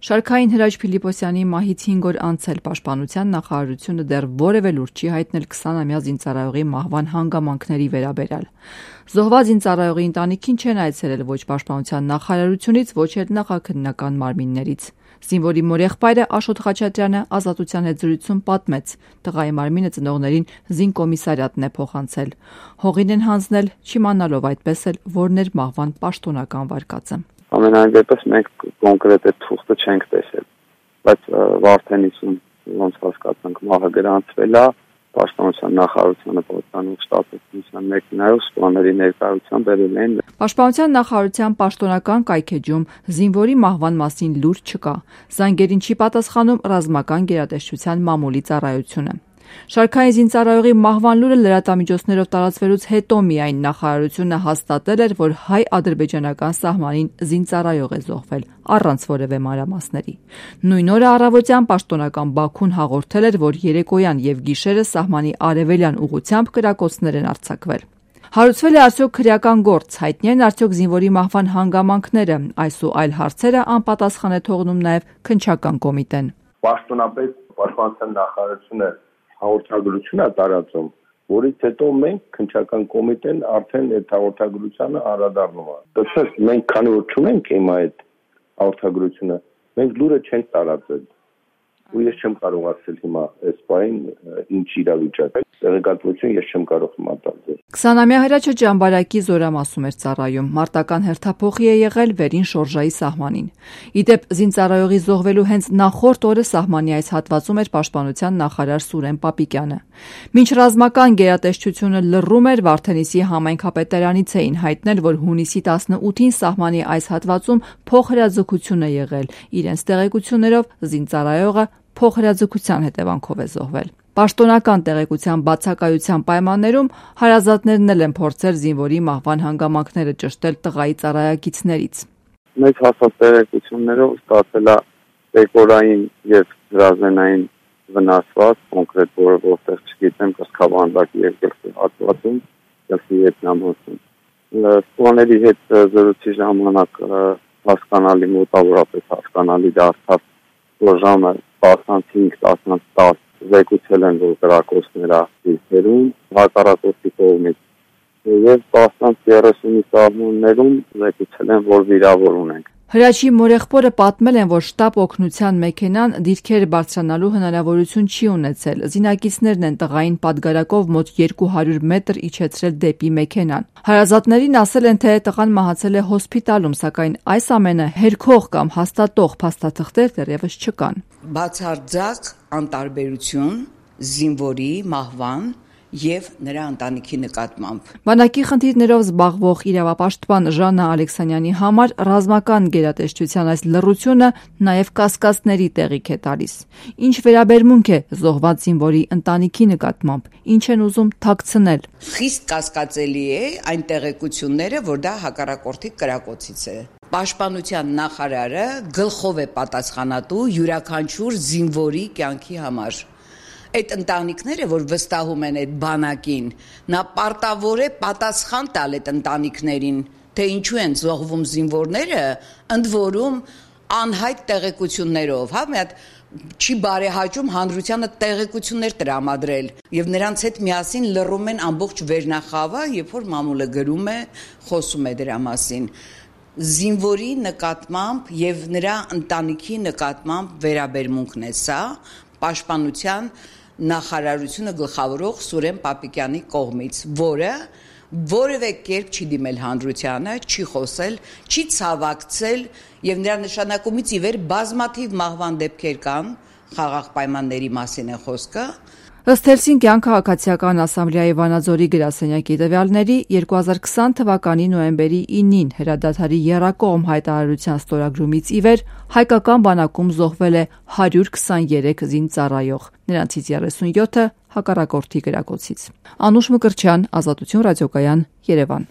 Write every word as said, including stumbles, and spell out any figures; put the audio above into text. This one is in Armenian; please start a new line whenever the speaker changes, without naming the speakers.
Շարքային Հրաչ Փիլիպոսյանի մահից հինգ օր անց էլ Պաշտպանության նախարարությունը դեռ որևէ լուր չի հայտնել քսանամյա զինծառայողի մահվան հանգամանքների վերաբերյալ։ Զոհված զինծառայողի ընտանիքին չեն այցելել ոչ Պաշտպանության նախարարությունից, ոչ էլ նախաքննական մարմիններից։ Զինվորի մորեղբայրը Աշոտ Խաչատրյանը Ազատության հետ զրույցում պատմեց. տղայի մարմինը ծնողներին զինկոմիսարիատն է փոխանցել։ Հողին են հանձնել, չիմանալով այդպես էլ որն էր մահվան պաշտոնական վարկածը։
Ամենայն դեպս մենք կոնկրետ այդ թուղթը չենք տեսել, բայց Վարդենիսում ոնց հասկացանք մահը գրանցվել է, Պաշտպանության նախարարությունը պատկանող շտաբի մեքենայով սպաների ներկայությամբ բերել են։
Պաշտպանության նախարարության պաշտոնական կայքեջում զինվորի մահվան մասին լուր չկա։ Զանգերին չի պատասխանում ռազմական գերատեսչության մամուլի ծառայությունը։ Շարքային զինծառայողի մահվան լուրը լրատվամիջոցներով տարածվելուց հետո միայն նախարարությունը հաստատել էր, որ հայ-ադրբեջանական սահմանին զինծառայող է զոհվել, առանց որևէ մանրամասների։ Նույն օրը առավոտյան պաշտոնական Բաքուն հաղորդել էր, որ երեկոյան եւ գիշերը սահմանի արևելյան ուղությամբ կրակոցներ են արձակվել։ Հարուցվել է արդյոք քրեական գործ, հայտնի են արդյոք զինվորի մահվան հանգամանքները, այս ու այլ հարցերը անպատասխան է թողնում նաեւ քննչական կոմիտեն։
Պաշտոնապես Պաշտպանության նախարարությունը հաղորդագրություն է տարածում, որից հետո մենք քննչական կոմիտեն արդեն այդ հաղորդագրությանը անդրադառնում է։ Դրանից մենք քանի որ չունենք հիմա այդ հաղորդագրությունը, մենք լուրը չենք տարածել։ Ու ես չեմ կարող ասել հիմա այս բանին ինչ իրավիճակ է։ Տեղեկատվություն ես չեմ կարող հիմա տալ։
քսանամյա Հրաչը Ջամբարակի Զորամասում էր ծառայում, մարտական հերթափոխի է եղել վերին շորժայի սահմանին։ Իդեպ զինծառայողի զոհվելու հենց նախորդ օրը սահմանի այս հատվածում էր Պաշտպանության նախարար Սուրեն Պապիկյանը։ Մինչ ռազմական գերատեսչությունը լռում էր, Վարդենիսի համայնքապետարանից էին հայտնել, որ հունիսի տասնութին սահմանի այս հատվածում փոխհրաձգություն է եղել։ Իրենց տեղեկություններով զինծառայողը փոխհրաձգության հետևանքով է զոհվել։ Պաշտոնական տեղեկության բացակայության պայմաններում հարազատներն էլ են փորձել զինվորի մահվան հանգամանքները ճշտել տղայի ծառայակիցներից։
Մեծ հասած տեղեկություններով ստացել է դեկորային եւ հրազենային վնասված, կոնկրետ որը որտեղ չգիտեմ, կսկավանդակի երկրի հատվածում, ելքի ետնամոսում։ Սպաների հետ զրույցի ժամանակ հասկանալի մոտավորապես հասկանալի դարձավ, որ ժամը տասնհինգ տասնտասը զեկուցել են, որ կրակոցները դիրքերում, հակառակորդի կողմից եւ տասնից երեսունի սահմաններում զեկուցել են, որ վիրավոր ունենք։
Հրաչի մորեղբորը պատմել են, որ շտապ օգնության մեքենան դիրքեր բարձրանալու հնարավորություն չի ունեցել։ Զինակիցներն են տղային պատգարակով մոտ երկու հարյուր մետր իջեցրել դեպի մեքենան։ Հարազատներին ասել են, թե տղան մահացել է հոսպիտալում, սակայն այս ամենը հերքող կամ հաստատող փաստաթղթեր դեռևս չկան։
Բացարձակ անտարբերություն զինվորի մահվան եւ նրա ընտանիքի նկատմամբ։
Բանակի խնդիրներով զբաղվող իրավապաշտպան Ժաննա Ալեքսանյանի համար ռազմական գերատեսչության այս լռությունը նաեւ կասկածների տեղիք է տալիս։ Ինչ վերաբերմունք է զոհված զինվորի ընտանիքի նկատմամբ, ինչ են ուզում թաքցնել։
Խիստ կասկածելի է այն տեղեկությունները, որ դա հակառակորդի կրակոցից է։ Պաշտպանության նախարարը գլխով է պատասխանատու յուրաքանչյուր զինվորի կյանքի համար։ Այդ ընտանիքները, որ վստահում են այդ բանակին, նա պարտավոր է պատասխան տալ այդ ընտանիքներին, թե ինչու են զոհվում զինվորները, ընդ որում անհայտ տեղեկություններով, հա, մի հատ չի բարեհաճում հանրությանը տեղեկություններ տրամադրել եւ նրանց հետ միասին լռում են ամբողջ վերնախավը, երբ որ մամուլը գրում է, խոսում է դրա մասին։ Զինվորի նկատմամբ եւ նրա ընտանիքի նկատմամբ վերաբերմունքն է սա Պաշտպանության նախարարությունը գլխավորող Սուրեն Պապիկյանի կողմից, որը որևէ կերպ չի դիմել հանրությանը, չի խոսել, չի ցավակցել եւ նրա նշանակումից ի վեր բազմաթիվ մահվան դեպքեր կան, խաղաղ պայմանների մասին է խոսքը։
Ըստ Հելսինկյան քաղաքացիական ասամբլեայի Վանաձորի գրասենյակի տվյալների երկու հազար քսան թվականի նոյեմբերի ինին հրադադարի եռակողմ հայտարարության ստորագրումից ի վեր հայկական բանակում զոհվել է հարյուր քսաներեք զինծառայող, նրանցից երեսունյոթը հակառակորդի կրակոցից։ Անուշ Մկրտչյան, Ազատություն ռադիոկայան, Երևան։